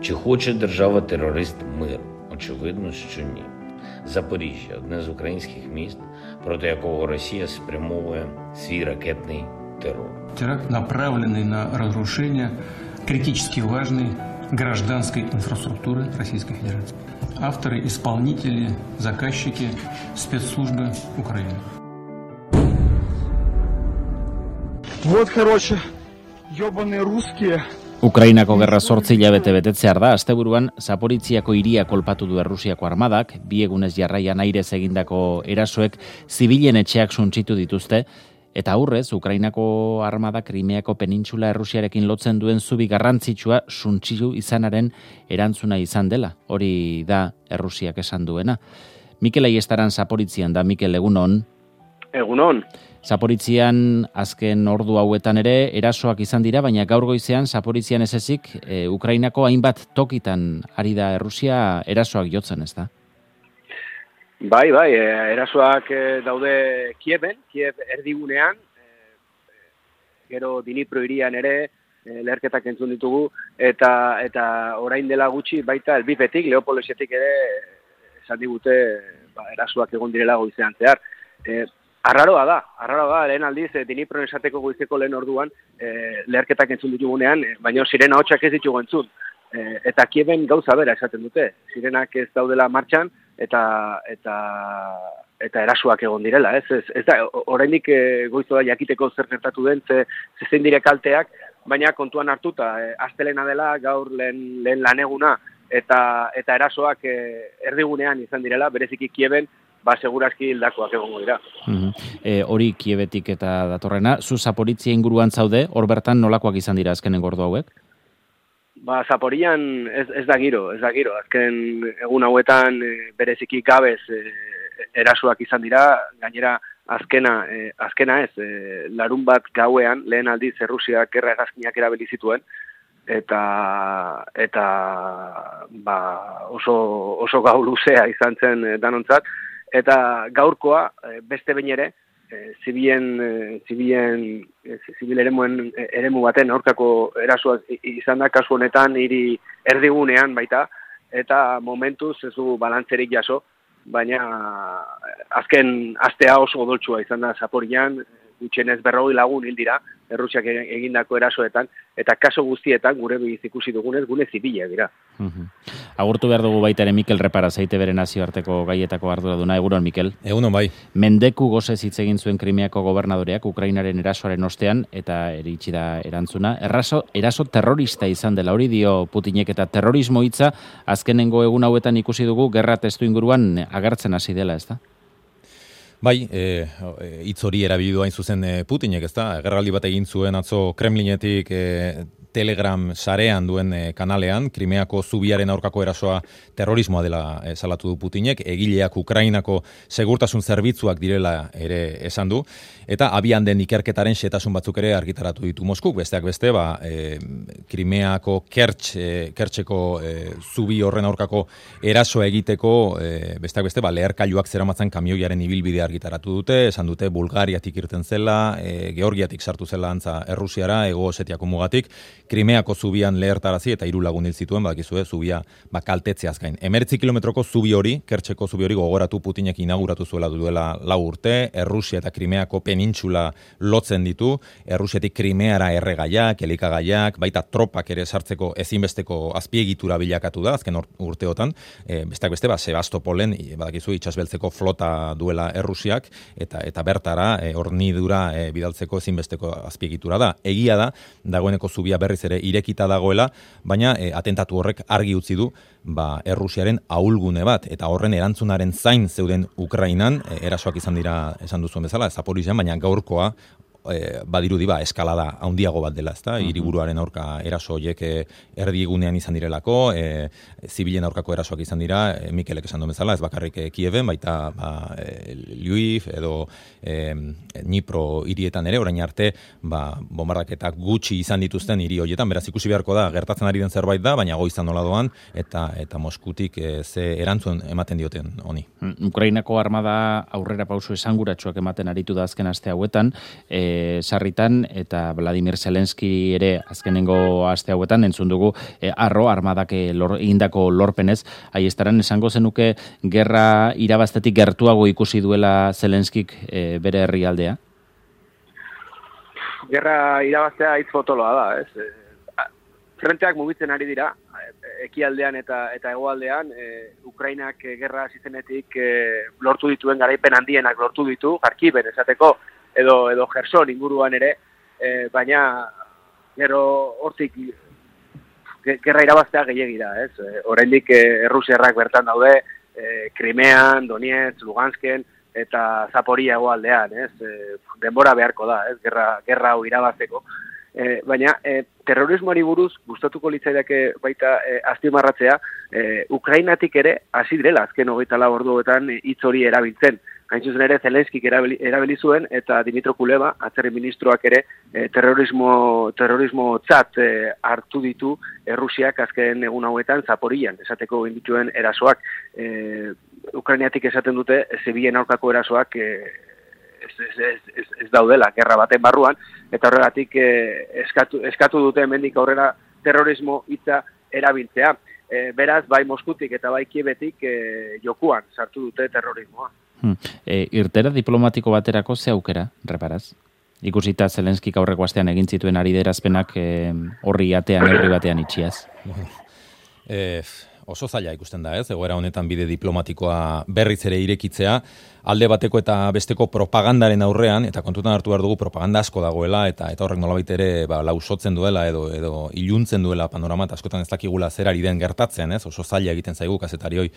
Чи хоче держава-терорист миру? Очевидно, що ні. Запоріжжя – одне з українських міст, проти якого Росія спрямовує свій ракетний террор. Теракт, направленный на разрушение критически важной гражданской инфраструктуры Российской Федерации. Авторы, исполнители, заказчики, спецслужбы Украины. Вот, короче, ёбаные русские. Ukrainako gerra 8 hilabete betetzear da, asteburuan Zaporitziako hiria kolpatu du Errusiako armadak, bi egunez jarraian airez egindako erasoek zibilen etxeak suntsitu dituzte, eta aurrez Ukrainako armada Krimeako penintsula Errusiarekin lotzen duen zubi garrantzitsua suntsitu izanaren erantzuna izan dela. Hori da Errusiak esan duena. Mikel Aiestaran Zaporitzian da. Mikel, egunon. Egunon. Zaporitzian azken ordu hauetan ere erasoak izan dira, baina gaur goizean Zaporitzian ez ezik Ukrainako hainbat tokitan ari da Errusia erasoak jotzen, ez da? Bai, erasoak daude Kiev erdigunean, gero Dnipro hirian ere leherketak entzun ditugu, eta orain dela gutxi baita Lvivetik, Leopoldesetik ere esan digute erasoak egon direla goizean zehar. Arraroa da, lehen aldiz, Dnipron esateko goizeko lehen orduan, leherketak entzun ditugunean, baina sirena hotxak ez ditugu entzun. Eta Kieven gauza bera esaten dute. Sirenak ez daudela martxan, eta erasoak egon direla. Ez da, oraindik goizo da jakiteko zer gertatu den, zein dire kalteak, baina kontuan hartuta, astelena dela, gaur lehen laneguna, eta erasoak erdigunean izan direla, bereziki Kieven, segurazki hildakoak egongo dira. Hori Kievetik eta datorrena, zu Zaporitzia inguruan zaude, hor bertan nolakoak izan dira azkenen gordo hauek? Zaporian ez da giro. Azken egun hauetan bereziki gabez erasoak izan dira, gainera azkena ez, larun bat gauean, lehen aldiz Errusiak gerra hegazkinak erabili zituen, eta oso gau luzea izan zen danontzat, eta gaurkoa beste behin ere, zibil eremu baten aurkako erasoa izan da kasu honetan hiri erdigunean baita, eta momentuz ez du balantzerik jaso, baina azken astea oso odoltsua izan da Zaporian, gutxienez 40 lagun hil dira Errusiak egindako erasoetan, eta kaso guztietan gure biz ikusi dugunez gune zibilak dira. Agurtu behar dugu baita ere Mikel Repara, Zeite bere nazioarteko gaietako arduraduna. Egunon, Mikel? Egunon, bai. Mendeku gozez hitz egin zuen Krimeako gobernadoreak Ukrainaren erasoaren ostean, eta eritsi da erantzuna. Eraso terrorista izan dela, hori dio Putinek, eta terrorismo hitza azkenengo egun hauetan ikusi dugu gerra testu inguruan agertzen hasi dela, ez da? Bai, hitz hori erabili du hain zuzen Putinek, ez da? Gerraldi bat egin zuen atzo Kremlinetik Telegram sarean duen kanalean, Krimeako zubiaren aurkako erasoa terrorismoa dela salatu du Putinek, egileak Ukrainako segurtasun zerbitzuak direla ere esan du, eta abian den ikerketaren xehetasun batzuk ere argitaratu ditu Moskuk, besteak beste, Krimeako Kertxeko zubi horren aurkako erasoa egiteko, besteak beste, leherkailuak zeramatzan kamioiaren ibilbidea argitaratu dute, esan dute Bulgariatik irten zela, Georgiatik sartu zela antza Errusiara, Hego Osetiako mugatik, Krimeako zubian lehertarazi eta 3 lagun hil zituen, badakizue, zubia kaltetzeaz gain. 19 kilometroko zubi hori, Kertxeko zubi hori gogoratu Putinek inauguratu zuela duela 4 urte, Errusia eta Krimeako penintsula lotzen ditu, Errusiatik Krimeara erregaiak, elikagaiak, baita tropak ere sartzeko ezinbesteko azpiegitura bilakatu da, azken urteotan, besteak beste, Sebastopolen, badakizu, itsasbeltzeko flota duela Errusiak, eta bertara hornidura bidaltzeko ezinbesteko azpiegitura da. Egia da, dagoeneko zubia berriz ere irekita dagoela, baina atentatu horrek argi utzi du Errusiaren ahulgune bat, eta horren erantzunaren zain zeuden Ukrainan, erasoak izan dira esan duzuen bezala, Zaporizian, baina gaurkoa badirudi eskalada handiago bat dela, ezta? Hiriburuaren aurka eraso horiek erdigunean izan direlako, zibilen aurkako erasoak izan dira, Mikelek esan duen bezala, ez bakarrik Kieven, baita Lviv edo Dnipro hirietan ere, orain arte bombardaketak gutxi izan dituzten hiri horietan, beraz ikusi beharko da, gertatzen ari den zerbait da, baina goizan nola doan, eta Moskutik ze erantzun ematen dioten honi. Ukrainako armada aurrera pauso esanguratsuak ematen aritu da azken aste hauetan, sarritan, eta Vladimir Zelenski ere azkenengo aste hauetan entzun dugu arro armadak egindako lorpenez. Aiestaran esango zenuke gerra irabaztetik gertuago ikusi duela Zelenskik bere herrialdea? Gerra irabaztea hitz potoloa da, ez? Frenteak mugitzen ari dira, ekialdean eta hegoaldean, Ukrainak gerra hasi zenetik lortu dituen garaipen handienak lortu ditu, Kharkiven esateko, edo Kherson inguruan ere, baina gero hortik gerra irabaztea gehiegi da, ez? Oraindik errusiarrak bertan daude, Krimean, Donetsk, Lugansken eta Zaporia hegoaldean, ez? Denbora beharko da, ez? Gerra hau irabazteko. Baina terrorismoari buruz gustatuko litzaidake baita azpimarratzea, Ukrainatik ere hasi direla azken 24 orduetan hitz hori erabiltzen. Hain zuzen ere Zelenskik erabili zuen eta Dimitro Kuleba, atzerri ministroak ere terrorismo tzat hartu ditu Errusiak azken egun hauetan Zaporian, esateko egin dituen erasoak. Ukrainatik esaten dute zibilen aurkako erasoak ez daudela gerra baten barruan, eta horregatik eskatu dute hemendik aurrera terrorismo hitza erabiltzea. Beraz, bai Moskutik eta bai Kiebetik jokuan sartu dute terrorismoa. Irtera diplomatiko baterako ze aukera, reparaz? Ikusita Zelenskik aurreko astean egin zituen ariderazpenak horri atean, herri batean itxiaz. Oso zaila ikusten da, ez? Egoera honetan bide diplomatikoa berriz ere irekitzea, alde bateko eta besteko propagandaren aurrean, eta kontutan hartu behar dugu propaganda asko dagoela, eta horrek nolabait ere lausotzen duela edo iluntzen duela panorama, eta askotan ez dakigula zer ari den gertatzen, ez? Oso zaila egiten zaigu kazetarioi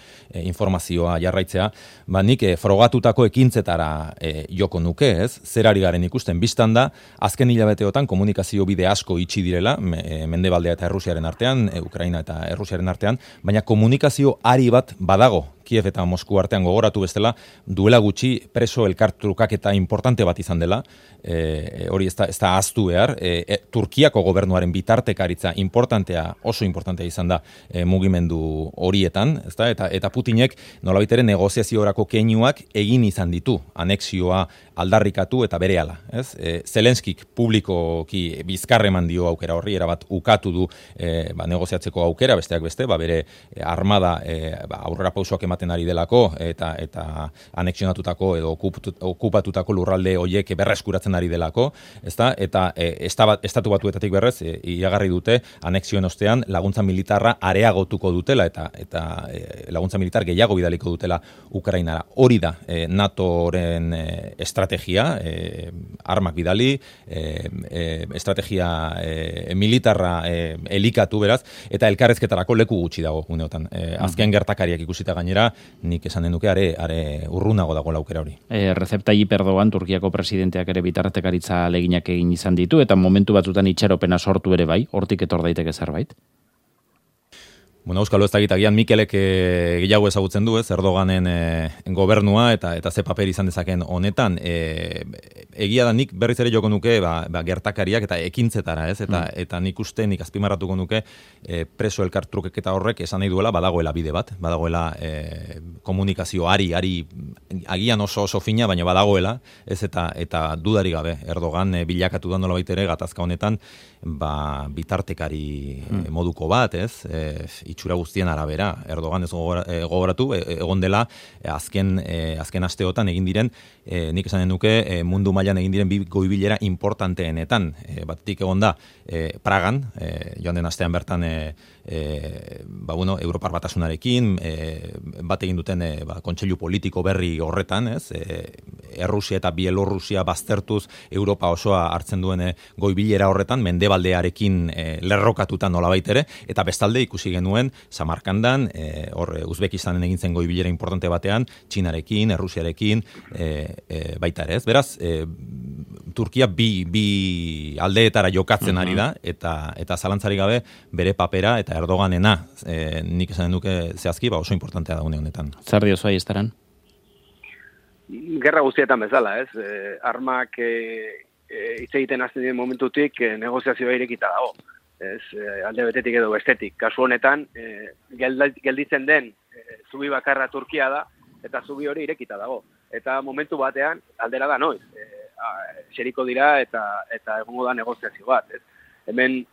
informazioa jarraitzea, nik frogatutako ekintzetara joko nuke, ez? Zer ari garen ikusten biztan da, azken hilabeteotan komunikazio bide asko itxi direla, Mendebaldea eta Errusiaren artean, Ukraina eta Errusiaren artean, baina komunikazio ari bat badago, Kiev eta Mosku artean gogoratu bestela, duela gutxi preso elkartrukaketa importante bat izan dela, hori ez da ahaztu behar, Turkiako gobernuaren bitartekaritza oso importantea izan da mugimendu horietan, ezta? Eta Putinek nolabait ere negoziaziorako keinuak egin izan ditu, anexioa aldarrikatu eta berehala, ez? Zelenskik publikoki bizkarreman dio aukera horri, erabat ukatu du negoziatzeko aukera, besteak beste, bere armada aurrera pausoak ematen ari delako eta anexionatutako edo okupatutako lurralde horiek berreskuratzen ari delako, ezta? Eta estatu batuetatik berrez iragarri dute anexioen ostean laguntza militarra areagotuko dutela eta laguntza militar gehiago bidaliko dutela Ukrainara. Hori da NATOren estrategia, armak bidali, estrategia militarra elikatu beraz, eta elkarrezketarako leku gutxi dago uneotan. Azken gertakariak ikusita gainera, nik esan denuke are urrunago dago aukera hori. Recep Tayyip Erdogan, Turkiako presidenteak ere bitartekaritza aleginak egin izan ditu, eta momentu batzutan itxaropena sortu ere bai, hortik etor daiteke zerbait? Bueno, Euskalo ez dakitagian Mikelek gehiago ezagutzen du, ez, Erdoganen gobernua eta ze paper izan dezaken honetan. Egia da nik berriz ere joko nuke gertakariak eta ekintzetara, ez, eta nik azpimarratuko nuke preso elkartrukeketa horrek esan nahi duela badagoela bide bat, badagoela komunikazio ari agian oso fina, baina badagoela, ez, eta dudari gabe Erdogan bilakatu da nolabait ere gatazka honetan bitartekari moduko bat, ez, itxura guztien arabera. Erdogan ez gogoratu, egon dela azken asteotan egin diren, nik esanen nuke mundu mailan egin diren bi goibilera importanteenetan. Batetik egon da Pragan, joan den astean bertan Europar Batasunarekin, bat egin duten kontseilu politiko berri horretan, ez? Errusia eta Bielorrusia baztertuz Europa osoa hartzen duen goibilera horretan, mendebaldearekin lerrokatuta nolabait ere, eta bestalde ikusi genuen Samarkandan, Uzbekistanen egin zen goibilera importante batean, Txinarekin, Errusiarekin, baita ere, ez? Beraz, Turkia bi aldeetara jokatzen ari da, eta zalantzari gabe bere papera eta Erdoganena, nik esan duke zehazki, oso importantea da honetan. Zer diozu Aiestaran? Gerra guztietan bezala, ez? Armak hitz egiten hasten diren momentutik negoziazioa irekita dago. Ez, alde betetik edo bestetik. Kasu honetan, gelditzen den zubi bakarra Turkia da, eta zubi hori irekita dago. Eta momentu batean, aldera da noiz. xeriko dira eta egongo da negoziazio bat, ez? Hemen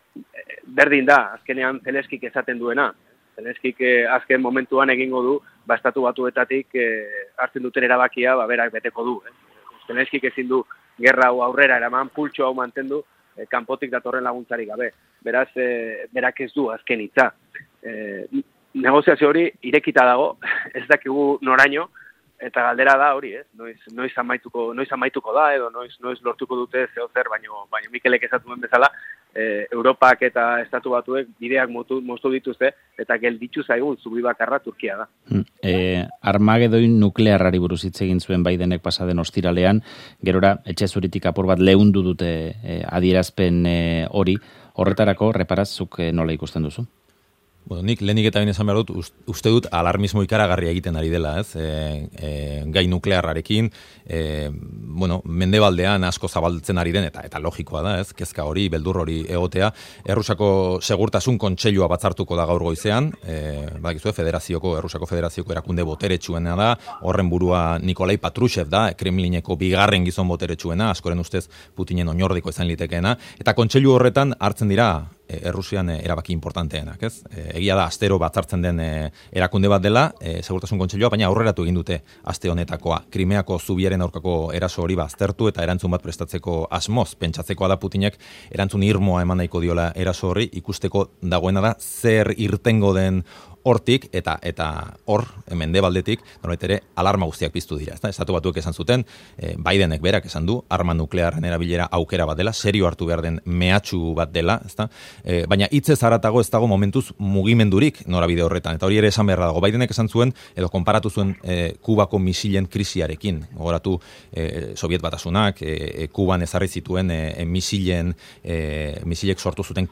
berdin da, azkenean Zeleskik esaten duena. Zeleskik azken momentuan egingo du, Estatu Batuetatik hartzen duten erabakia, berak beteko du. Zeleskik ezin du gerra hau aurrera eraman, pultxo hau mantendu, kanpotik datorren laguntzarik gabe. Beraz, berak ez du azken hitza. Negoziazio hori irekita dago, ez dakigu noraino, eta galdera da hori, noiz amaituko da, edo noiz lortuko dute zeo zer, baino Mikelek esatu duen bezala, Europak eta Estatu Batuek bideak moztu dituzte, eta gelditzu zaigun zubi bakarra Turkia da. Armagedoin nuklearrari buruz hitz egin zuen Bidenek pasaden ostiralean, gerora etxe zuritik apur bat leundu dute adierazpen hori, horretarako reparazzuk nola ikusten duzu? Bueno, nik lehenik eta esan behar dut, uste dut alarmismo ikaragarria egiten ari dela, ez? Gai nuklearrarekin, mendebaldean asko zabaltzen ari den, eta logikoa da, ez? Kezka hori, beldur hori egotea. Errusako segurtasun kontseilua batzartuko da gaur goizean, Errusako Federazioko erakunde boteretsuena da, horren burua Nikolai Patrushev da, Kremlineko bigarren gizon boteretsuena, askoren ustez Putinen oinordiko izan litekeena, eta kontseilu horretan hartzen dira Errusian erabaki importanteenak, ez? Egia da, astero batzartzen den erakunde bat dela, segurtasun kontseilua, baina aurreratu egin dute aste honetakoa. Krimeako zubiaren aurkako eraso hori baztertu eta erantzun bat prestatzeko asmoz. Pentsatzekoa da Putinek erantzun irmoa eman nahiko diola eraso horri, ikusteko dagoena da zer irtengo den hortik eta hor mendebaldetik norbait ere alarma guztiak piztu dira, ezta? Estatu Batuek esan zuten, Bidenek berak esan du, arma nuklearren erabilera aukera bat dela, serio hartu behar den mehatxu bat dela, ezta? Baina hitzez haratago ez dago momentuz mugimendurik norabide horretan, eta hori ere esan beharra dago. Bidenek esan zuen edo konparatu zuen Kubako misilen krisiarekin. Gogoratu Soviet Batasunak Kuban ezarri zituen misilek sortu zuten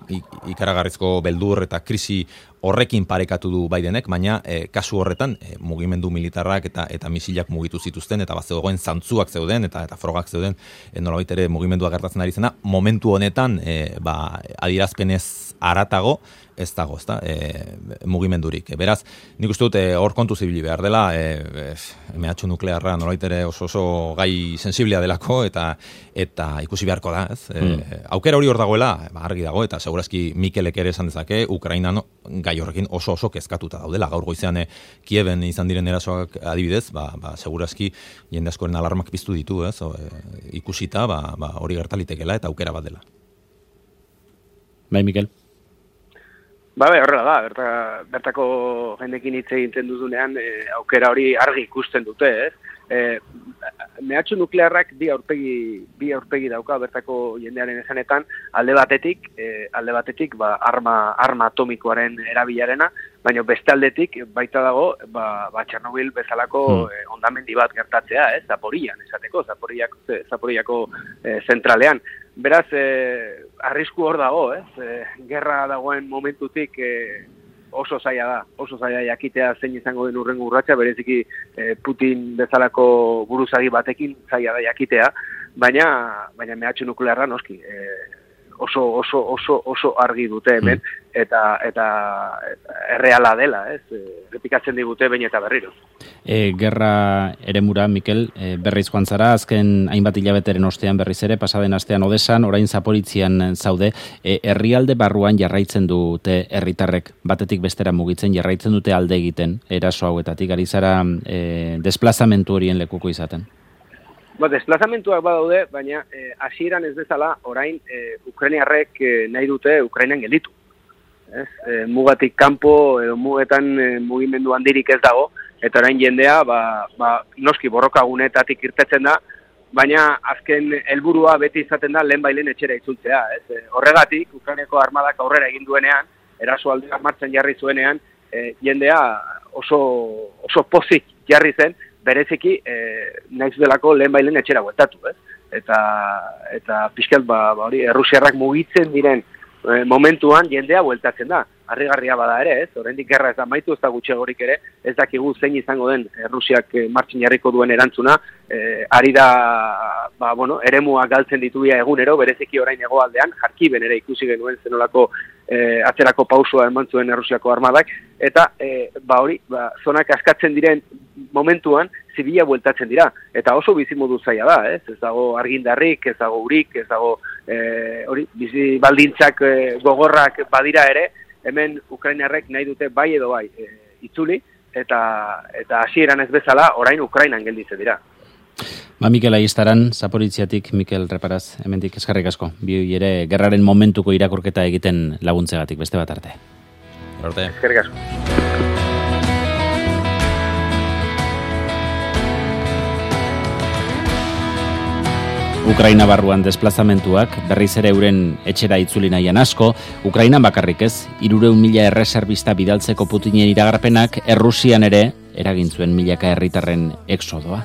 ikaragarrizko beldur eta krisi horrekin parekatu du Bidenek, baina kasu horretan mugimendu militarrak eta misilak mugitu zituzten, eta zegoen zantzuak zeuden, eta frogak zeuden, nolabait ere mugimendua gertatzen ari zena, momentu honetan adierazpenez haratago, ez dago, ezta, mugimendurik. Beraz, nik uste dut hor kontu zibili behar dela, mehatxu nuklearra nolabait ere oso gai sensiblea delako, eta ikusi beharko da, ez? Aukera hori hor dagoela, argi dago, eta segurazki Mikelek ere esan dezake, Ukrainan gai horrekin oso kezkatuta daudela. Gaur goizean Kieven izan diren erasoak adibidez, segurazki jende askoren alarmak piztu ditu, ez? Ikusita, hori gertalitekela eta aukera bat dela. Bai, Mikel? Horrela da, bertako jendekin hitz egiten duzunean aukera hori argi ikusten dute, ez? Mehatxu nuklearrak bi aurpegi dauka bertako jendearen esanetan, alde batetik arma atomikoaren erabilarena, baina beste aldetik baita dago Txernobil bezalako hondamendi bat gertatzea, ez? Zaporiako zentralean. Beraz, arrisku hor dago, ez? Gerra dagoen momentutik oso zaila jakitea zein izango den hurrengo urratsa, bereziki Putin bezalako buruzagi batekin zaila da jakitea, baina mehatxu nuklearra noski oso argi dute hemen, eta erreala dela, ez? Repikatzen digute behin eta berriro. Gerra eremura, Mikel, berriz joan zara, azken hainbat hilabeteren ostean berriz ere, pasaden astean Odesan, orain Zaporitzian zaude, herrialde barruan jarraitzen dute herritarrek batetik bestera mugitzen, jarraitzen dute alde egiten, eraso hauetatik, ari zara desplazamentu horien lekuko izaten? Desplazamentuak badaude, baina hasieran ez bezala, orain Ukrainiarrek nahi dute Ukrainan gelditu. Mugatik kanpo edo mugetan mugimendu handirik ez dago, eta orain jendea noski borrokagunetatik irtetzen da, baina azken helburua beti izaten da lehenbailen etxera itzultzea. Horregatik, Ukrainako armadak aurrera egin duenean, erasoaldia martxan jarri zuenean, jendea oso pozik jarri zen, bereziki nahiz delako lehenbailen etxera bueltatu, ez? Eta pixkat hori Errusiarrak mugitzen diren momentuan jendea bueltatzen da. Harrigarria bada ere, ez? Oraindik gerra ez da amaitu, ez da gutxiagorik ere, ez dakigu zein izango den Errusiak martxan jarriko duen erantzuna, ari da eremua galtzen dituia egunero, bereziki orain hegoaldean, Jarkiben ere ikusi genuen zenolako atzerako pausua eman zuen Errusiako armadak, eta zonak askatzen diren momentuan, zibila bueltatzen dira, eta oso bizimodu zaila da, ez dago argindarrik, ez dago urik, ez dago bizi baldintzak gogorrak badira ere, hemen Ukrainarrek nahi dute bai edo bai itzuli, eta hasieran ez bezala orain Ukrainan gelditzen dira. Mikel Aistaran, Zaporitziatik, Mikel Reparaz, hemendik eskerrik asko. Bi ere gerraren momentuko irakurketa egiten laguntzegatik, beste bat arte. Eskerrik asko. Ukraina barruan desplazamentuak berriz ere euren etxera itzuli nahian asko, Ukrainan bakarrik ez, 300.000 erreserbista bidaltzeko Putinen iragarpenak Errusian ere eragin zuen milaka herritarren exodoa.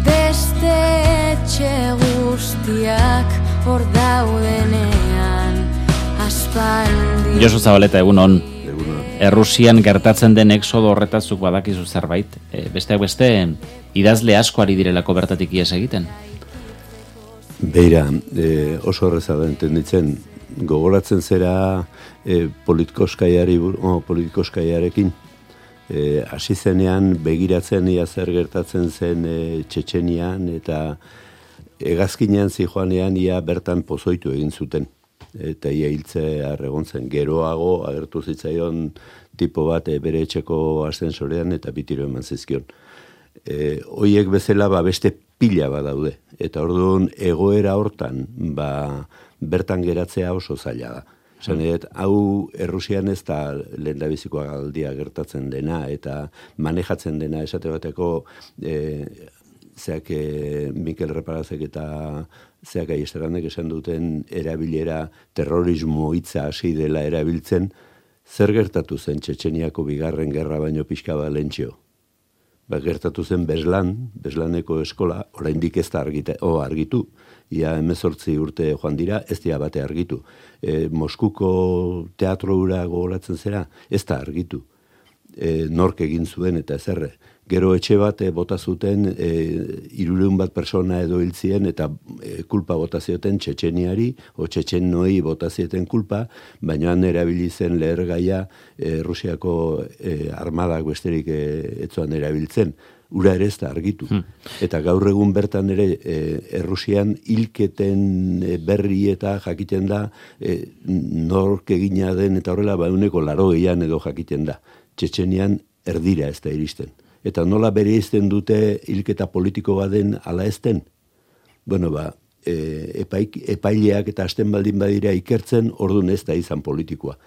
Beste etxe guztiak hor daudenean aspaldi. Josu Zabaleta, egunon. Errusian gertatzen den exodo horretazuk badakizu zerbait. Besteak beste, idazle asko ari direlako bertatik ihes egiten. Beira, oso horreza da entenditzen. Gogoratzen zera politikoskaiarekin. Hasi zenean begiratzen ia zer gertatzen zen Txetxenian eta hegazkinean zijoanean ia bertan pozoitu egin zuten. Eta ia hiltzea egon zen. Geroago agertu zitzaion tipo bat bere etxeko ascensorean eta bitiro eman zizkion. Hoiek bezala beste pila bat daude. Eta orduan egoera hortan bertan geratzea oso zaila da. Hau Errusian ez da lehendabiziko aldia gertatzen dena eta manejatzen dena esate bateko Mikel Reparazek eta Aiestaranek esan duten erabilera terrorismo hitza hasi dela erabiltzen, zer gertatu zen Txetxeniako bigarren gerra baino pixka bat lentxeo? Gertatu zen Beslaneko eskola, oraindik ez da argitu. Ia 18 urte joan dira, ez dira bate argitu. Moskuko teatro hura gogoratzen zera, ez da argitu. Nork egin zuen eta ezerre. Gero etxe bat bota zuten 300 persona edo hiltzien eta kulpa bota zioten Txetxeniari o Txetxenoi bota zieten kulpa, baina han erabili zen lehergaia Rusiako armadak besterik etzuan erabiltzen. Ura ere ez da argitu. Eta gaur egun bertan ere Errusian hilketen berri eta jakiten da nork egina den eta horrela 80% edo jakiten da. Txetxenian erdira ez da iristen. Eta nola bereizten dute hilketa politiko baden ala ezten? Bueno, epaileak eta hasten baldin badira ikertzen, orduan ez da izan politikoa.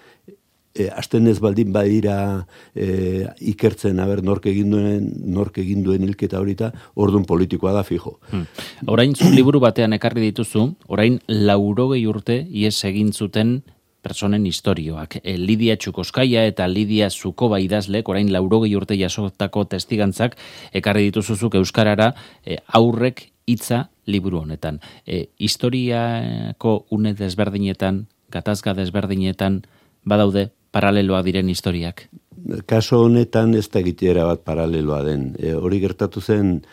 Hasten ez baldin badira ikertzen, nork egin duen hilketa horita, orduan politikoa da fijo. Orain zu liburu batean ekarri dituzu, orain 80 urte ihes egin zuten personen istorioak. Lidia Txukoskaia eta Lidia Zukoba idazlek, orain 80 urte jasotako testigantzak, ekarri dituzuzuk euskarara aurrek hitza liburu honetan. Historiako une desberdinetan, gatazka desberdinetan, badaude paraleloa diren historiak. Kaso honetan ez da egitera bat paraleloa den. Hori gertatu zen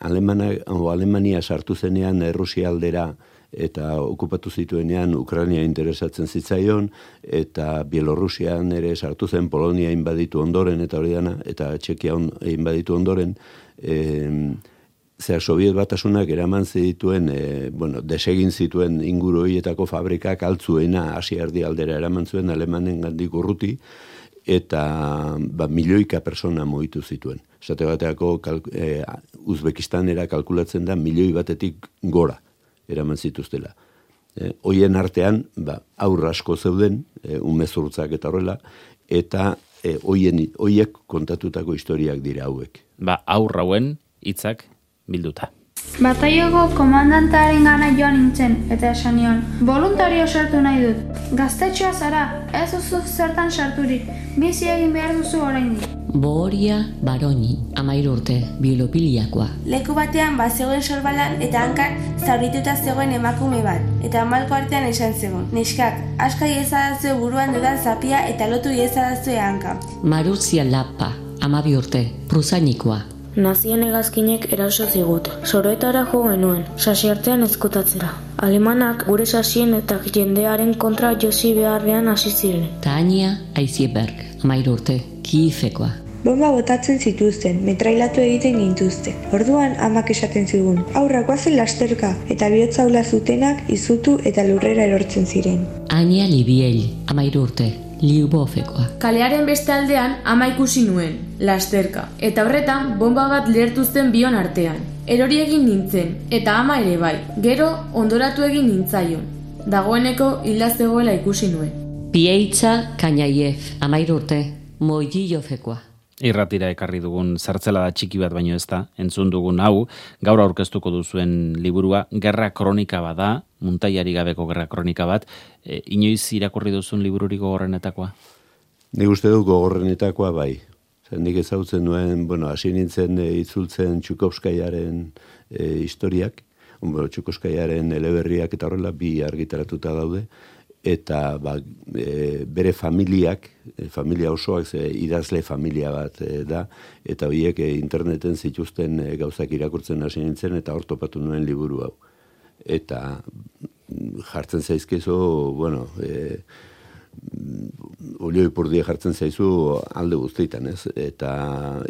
Alemania sartu zenean Errusia aldera eta okupatu zituenean Ukraina interesatzen zitzaion, eta Bielorrusian ere sartu zen, Polonia inbaditu ondoren, eta hori dana, eta Txekia inbaditu ondoren, Sobiet Batasunak eraman zituen, desegin zituen inguru horietako fabrikak altzuena Asia erdialdera eraman zuen Alemanen gandik urruti, eta milioika persona mugitu zituen. Esate bateako Uzbekistanera kalkulatzen da 1 milioi batetik gora eraman zituztela. Hoien artean, aur asko zeuden, umezurtzak eta horrela, eta hoiek kontatutako historiak dira hauek. Aur hauen hitzak bilduta. Bataioko komandantaren gana joan nintzen, eta esan nion, voluntario sartu nahi dut. Gaztetxoa zara, ez duzu zertan sarturik, bizi egin behar duzu oraindik. Bohoria Baroni, 13 urte, biolopiliakoa. Leku batean bazegoen sorbalan eta hankan zaurituta zegoen emakume bat, eta malko artean esan zegoen. Neskak, aska iezadazue buruan dudan zapia eta lotu iezadazue hanka. Maruzia Lapa, 12 urte, prusainikoa. Nazien hegazkinek eraso zigut. Soroetara jo genuen, sasi artean ezkutatzera. Alemanak gure sasien eta jendearen kontra josi beharrean hasi ziren. Tania Aizieberg, 13 urte, Kiifekoa. Bomba botatzen zituzten, metrailatu egiten gintuzte. Orduan amak esaten zigun, aurrak guazen lasterka, eta bihotzaula zutenak izutu eta lurrera erortzen ziren. Ania Libiel, 13 urte, Liubofekoa. Kalearen beste aldean ama ikusi nuen, lasterka, eta horretan bomba bat lehertu zen bion artean. Erori egin nintzen, eta ama ere bai, gero ondoratu egin nintzaion. Dagoeneko hilda zegoela ikusi nuen. Pieitza Kainaiev, 13 urte, Moililofekoa. Irratira ekarri dugun zertzelada txiki bat baino ez da, entzun dugun hau, gaur aurkeztuko duzuen liburua, gerra kronika bada, muntaiari gabeko gerra kronika bat, inoiz irakurri duzun libururik gogorrenetakoa? Nik uste dut gogorrenetakoa bai. Nik ezautzen nuen, hasi nintzen itzultzen Txukovskaiaren historiak, Txukovskaiaren eleberriak eta horrela bi argitaratuta daude, eta bere familiak, familia osoak, idazle familia bat da, eta horiek interneten zituzten gauzak irakurtzen hasi nintzen, eta hor topatu nuen liburu hau. Eta jartzen zaizkezu, olio ipurdia jartzen zaizu alde guztietan, ez? Eta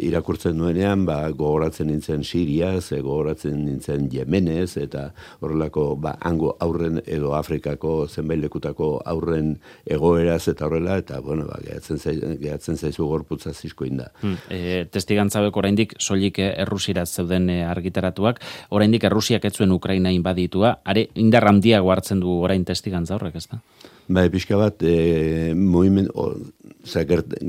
irakurtzen nuenean, gogoratzen nintzen Siriaz, gogoratzen nintzen Yemenez, eta horrelako, hango aurren edo Afrikako zenbait lekutako aurren egoeraz eta horrela, eta, gehatzen zaizu gorputza zizkoin da. Testigantzabek oraindik soilik Errusiraz zeuden argitaratuak, oraindik Errusiak ez zuen Ukraina inbaditua, indar handiago hartzen du orain testigantza horrek, ez da? Pixka bat,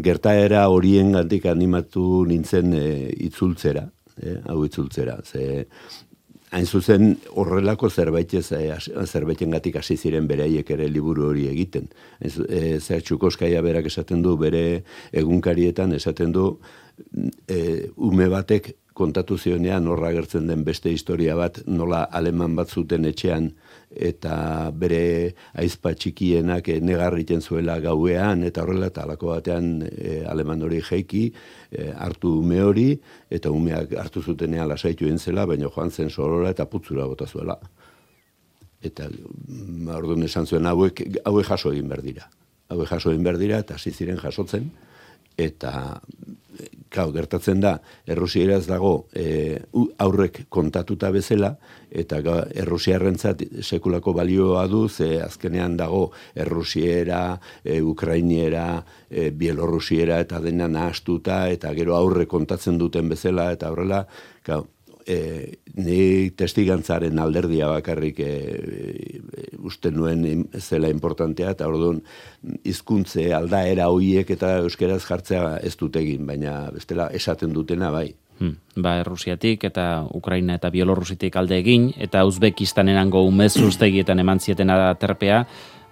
gertaera horien gandik animatu nintzen itzultzera, hau itzultzera. Hain zuzen horrelako zerbaiten gatik hasi ziren beraiek ere liburu hori egiten. Txukovskaia berak esaten du, bere egunkarietan esaten du, ume batek kontatu zionean horra agertzen den beste historia bat, nola aleman bat zuten etxean, eta bere aizpa txikienak negarriten zuela gauean, eta horrela, eta alako batean aleman hori jeiki, hartu ume hori, eta umeak hartu zutenean lasaitu egin zela, baina joan zen sorora eta putzura bota zuela. Eta orduan esan zuen hauek jaso egin behar dira. Hauek jaso egin behar dira, eta hasi ziren jasotzen, eta gertatzen da, errusiaraz dago aurrek kontatuta bezala, eta errusiarrentzat sekulako balioa du, azkenean dago errusiera, ukrainiera, bielorrusiera, eta dena nahastuta, eta gero aurre kontatzen duten bezala, eta horrela, ni testigantzaren alderdia bakarrik uste nuen zela importantea, eta orduan hizkuntze aldaera hoiek eta euskeraz jartzea ez dut egin, baina bestela esaten dutena bai. Errusiatik eta Ukraina eta Bielorrusitik alde egin, eta Uzbekistanerango umezuztegietan eman zieten aterpea,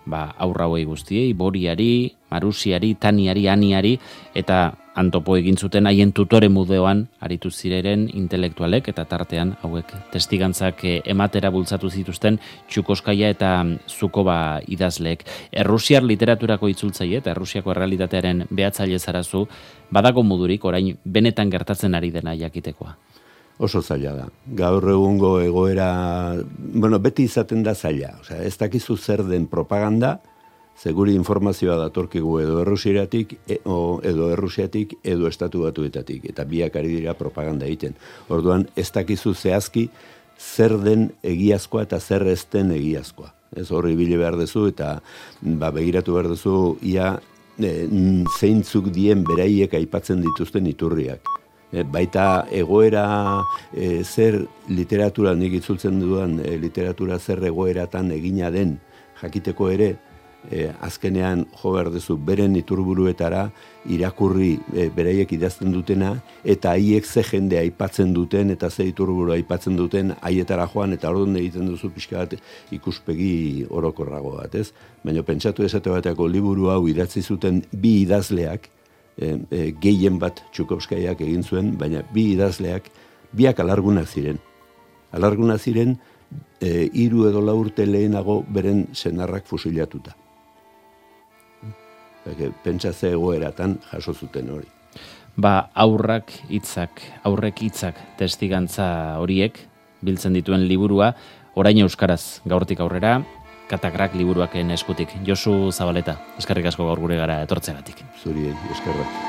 aurra hoi guztiei, Boriari, Marusiari, Taniari, Aniari, eta antopo egin zuten haien tutore mudeoan aritu zireren intelektualek, eta tartean hauek testigantzak ematera bultzatu zituzten Txukovskaia eta Zukova idazleek. Errusiar literaturako itzultzaile eta Errusiako errealitatearen behatzaile zarazu, badago modurik orain benetan gertatzen ari dena jakitekoa? Oso zaila da. Gaur egungo egoera, beti izaten da zaila. Ez dakizu zer den propaganda, seguri informazioa datorkigu edo Errusiatik, edo Estatu Batuetatik, eta biak ari dira propaganda egiten. Orduan, ez dakizu zehazki zer den egiazkoa eta zer ez den egiazkoa. Ez horri bile behar duzu, eta begiratu behar duzu, ia zeintzuk dien beraiek aipatzen dituzten iturriak. Baita egoera zer literatura, nik itzultzen dudan literatura zer egoeratan egina den jakiteko ere, azkenean jo behar duzu beren iturburuetara irakurri beraiek idazten dutena, eta haiek ze jende aipatzen duten eta ze iturburu aipatzen duten haietara joan, eta orduan egiten duzu pixka bat ikuspegi orokorrago bat, ez? Baina pentsatu esate bateako liburu hau idatzi zuten bi idazleak, gehien bat Txukovskaiak egin zuen, baina bi idazleak, biak alargunak ziren. Alargunak ziren, 3 edo 4 urte lehenago beren senarrak fusilatuta. Pentsa ze egoeratan jaso zuten hori. Aurrek hitzak testigantza horiek biltzen dituen liburua, orain euskaraz gaurtik aurrera, Katakrak liburuaken eskutik. Josu Zabaleta, eskerrik asko gaur gure gara etortzegatik. Zuri, eskerrak.